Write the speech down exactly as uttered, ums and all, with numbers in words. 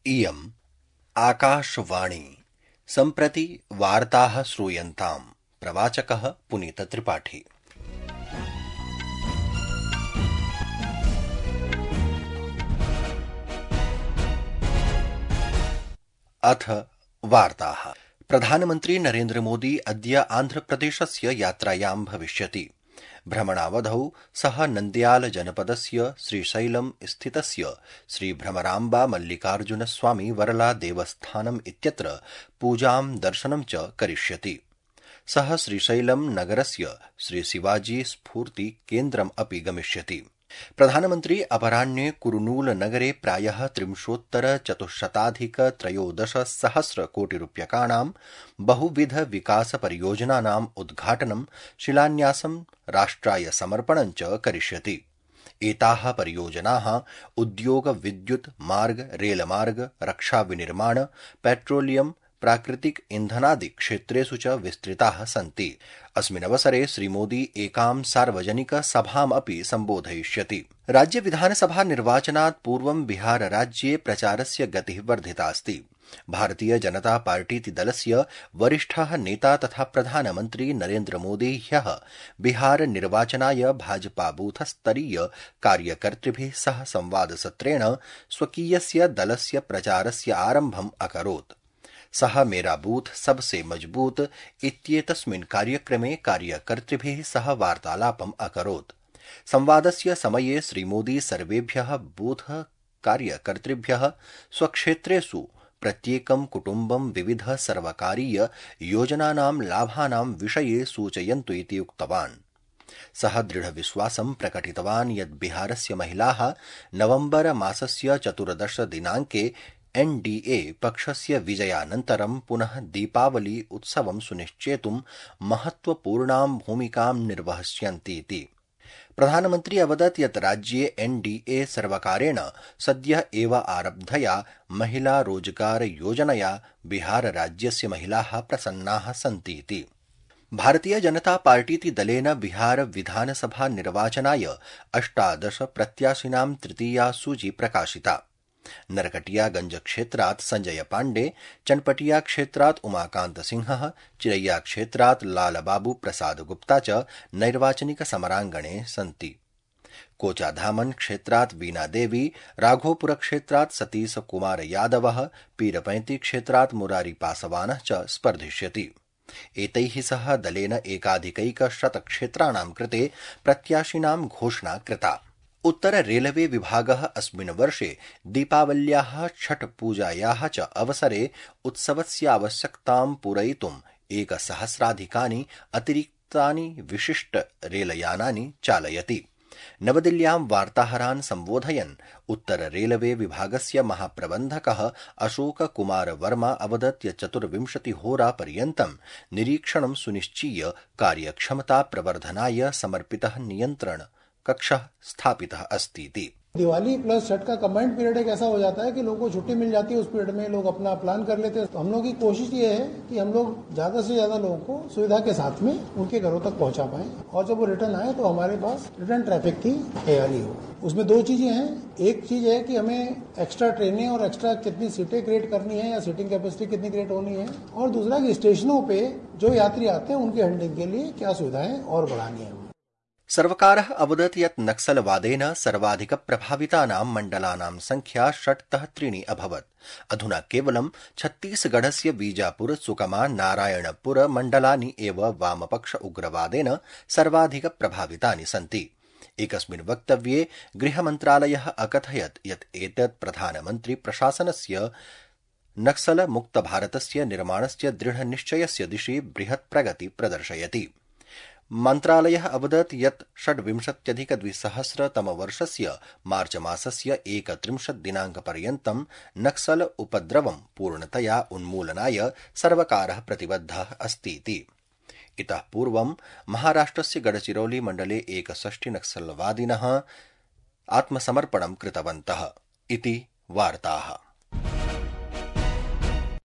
इयम् आकाशवाणी। सम्प्रति वार्ताः श्रूयन्ताम्। प्रवाचकः पुनीतत्रिपाठी। अथ वार्ताः। प्रधानमन्त्री नरेन्द्र मोदी अद्य आन्ध्रप्रदेशस्य यात्रायां भविष्यति। भ्रमणावधौ सः नन्द्याल जनपदस्य श्रीशैलम् स्थितस्य श्रीभ्रमराम्बा मल्लिकार्जुन स्वामी वरला देवस्थानम् इत्यत्र पूजां दर्शनं च करिष्यति। सः श्रीशैलम् नगरस्य श्रीशिवाजी स्फूर्ति केन्द्रम् अपि गमिष्यति। प्रधानमन्त्री अपराह्ने कुरुनूल नगरे प्रायः त्रिंशोत्तर चतुश्शताधिक त्रयोदश सहस्र कोटिरूप्यकाणां बहुविध विकास परियोजनानाम् उद्घाटनं शिलान्यासं राष्ट्राय समर्पणं च करिष्यति। एताः परियोजनाः उद्योग, विद्युत्, मार्ग, रेलमार्ग, रक्षा विनिर्माण, पेट्रोलियम, प्राकृतिक ईंधनादि क्षेत्रेषु च विस्तृताः सन्ति। अस्मिन्नवसरे श्रीमोदी एकां सार्वजनिक सभाम् अपि सम्बोधयिष्यति। राज्य विधानसभा निर्वाचनात् पूर्वं बिहार राज्ये प्रचारस्य गतिः वर्धितास्ति। भारतीय जनता पार्टीति दलस्य वरिष्ठः नेता तथा प्रधानमन्त्री नरेन्द्र मोदी ह्यः बिहार निर्वाचनाय भाजपा बूथस्तरीय कार्यकर्तृभिः सह संवादसत्रेण स्वकीयस्य दलस्य प्रचारस्य आरम्भम् अकरोत्। सः मेरा बूथ सबसे मजबूत इत्येतस्मिन् कार्यक्रमे कार्यकर्तृभिः सह वार्तालापम् अकरोत्। संवादस्य समये श्रीमोदी सर्वेभ्यः बूथ कार्यकर्तृभ्यः स्वक्षेत्रेषु प्रत्येकं कुटुम्बं विविध सर्वकारीय योजनानां लाभानां विषये सूचयन्तु इति उक्तवान्। सः दृढविश्वासं प्रकटितवान् यत् बिहारस्य महिलाः नवम्बर मासस्य चतुर्दश दिनाङ्के एन् डी ए पक्षस्य विजयानन्तरं पुनः दीपावली उत्सवं सुनिश्चेतुं महत्वपूर्णां भूमिकां निर्वहिष्यन्तीति। प्रधानमन्त्री अवदत् यत् राज्ये एन् डी ए सर्वकारेण सद्यः एव आरब्धया महिला रोजगार योजनया बिहार राज्यस्य महिलाः प्रसन्नाः सन्तीति। भारतीय जनता पार्टीति दलेन बिहार विधानसभा निर्वाचनाय अष्टादश प्रत्याशिनां तृतीया सूची प्रकाशिता। नरकटियागंज क्षेत्रात् संजय पाण्डे, चनपटिया क्षेत्रात् उमाकान्त सिंहः, चिरैया क्षेत्रात् लालबाबू प्रसाद गुप्ता च नैर्वाचनिक समराङ्गणे सन्ति। कोचाधामन क्षेत्रात् वीना देवी, राघोपुर क्षेत्रात् सतीश कुमार यादवः, पीरपैंती क्षेत्रात् मुरारी पासवानः च स्पर्धिष्यति। एतैः सह दलेन एकाधिकैकशत क्षेत्राणां कृते प्रत्याशिनां घोषणा कृता। उत्तर रेलवे विभागः अस्मिन् वर्षे दीपावल्याः छठ पूजायाः च अवसरे उत्सवस्यावश्यकतां पूरयितुम् एकसहस्राधिकानि अतिरिक्तानि विशिष्ट रेलयानानि चालयति। नवदिल्ल्यां वार्ताहरान् सम्बोधयन् उत्तर रेलवे विभागस्य महाप्रबन्धकः अशोक कुमार वर्मा अवदत् यत् चतुर्विंशतिहोरा पर्यन्तं निरीक्षणं सुनिश्चीय कार्यक्षमता प्रवर्धनाय समर्पितः नियन्त्रण कक्षः स्थापितः अस्तीति। दिवाली प्लस छठ का कंबाइंड पीरियड एक ऐसा हो जाता है कि लोगों को छुट्टी मिल जाती है, उस पीरियड में लोग अपना प्लान कर लेते हैं। तो हम लोग की कोशिश ये है कि हम लोग ज्यादा से ज्यादा लोगों को सुविधा के साथ में उनके घरों तक पहुंचा पाएं और जब वो रिटर्न आए तो हमारे पास रिटर्न ट्रैफिक की तैयारी हो। उसमें दो चीजें हैं। एक चीज है कि हमें एक्स्ट्रा ट्रेनें और एक्स्ट्रा कितनी सीटें क्रिएट करनी है या सीटिंग कैपेसिटी कितनी क्रिएट होनी है, और दूसरा कि स्टेशनों पे जो यात्री आते हैं उनके हैंडलिंग के लिए क्या सुविधाएं और बढ़ानी है। सर्वकारः अवदत् यत् नक्सलवादेन सर्वाधिक प्रभावितानां मण्डलानां संख्या षट्तः त्रीणि अभवत्। अधुना केवलं छत्तीसगढ़स्य बीजापुर, सुकमा, नारायणपुर मण्डलानि एव वामपक्ष उग्रवादेन सर्वाधिक प्रभावितानि सन्ति। एकस्मिन् वक्तव्ये गृहमन्त्रालयः अकथयत् यत् एतत् प्रधानमन्त्री प्रशासनस्य नक्सल मुक्त भारतस्य निर्माणस्य दृढनिश्चयस्य दिशि बृहत् प्रगति प्रदर्शयति। मन्त्रालयः अवदत् यत् षड्विंशत्यधिकद्विसहस्रतमवर्षस्य मार्च मासस्य एकत्रिंशत् दिनाङ्कपर्यन्तं नक्सल उपद्रवं पूर्णतया उन्मूलनाय सर्वकारः प्रतिबद्धः अस्तीति। इतः पूर्वं महाराष्ट्रस्य गढ़चिरौली मण्डले एकषष्टि नक्सलवादिनः आत्मसमर्पणं कृतवन्तः इति वार्ताः।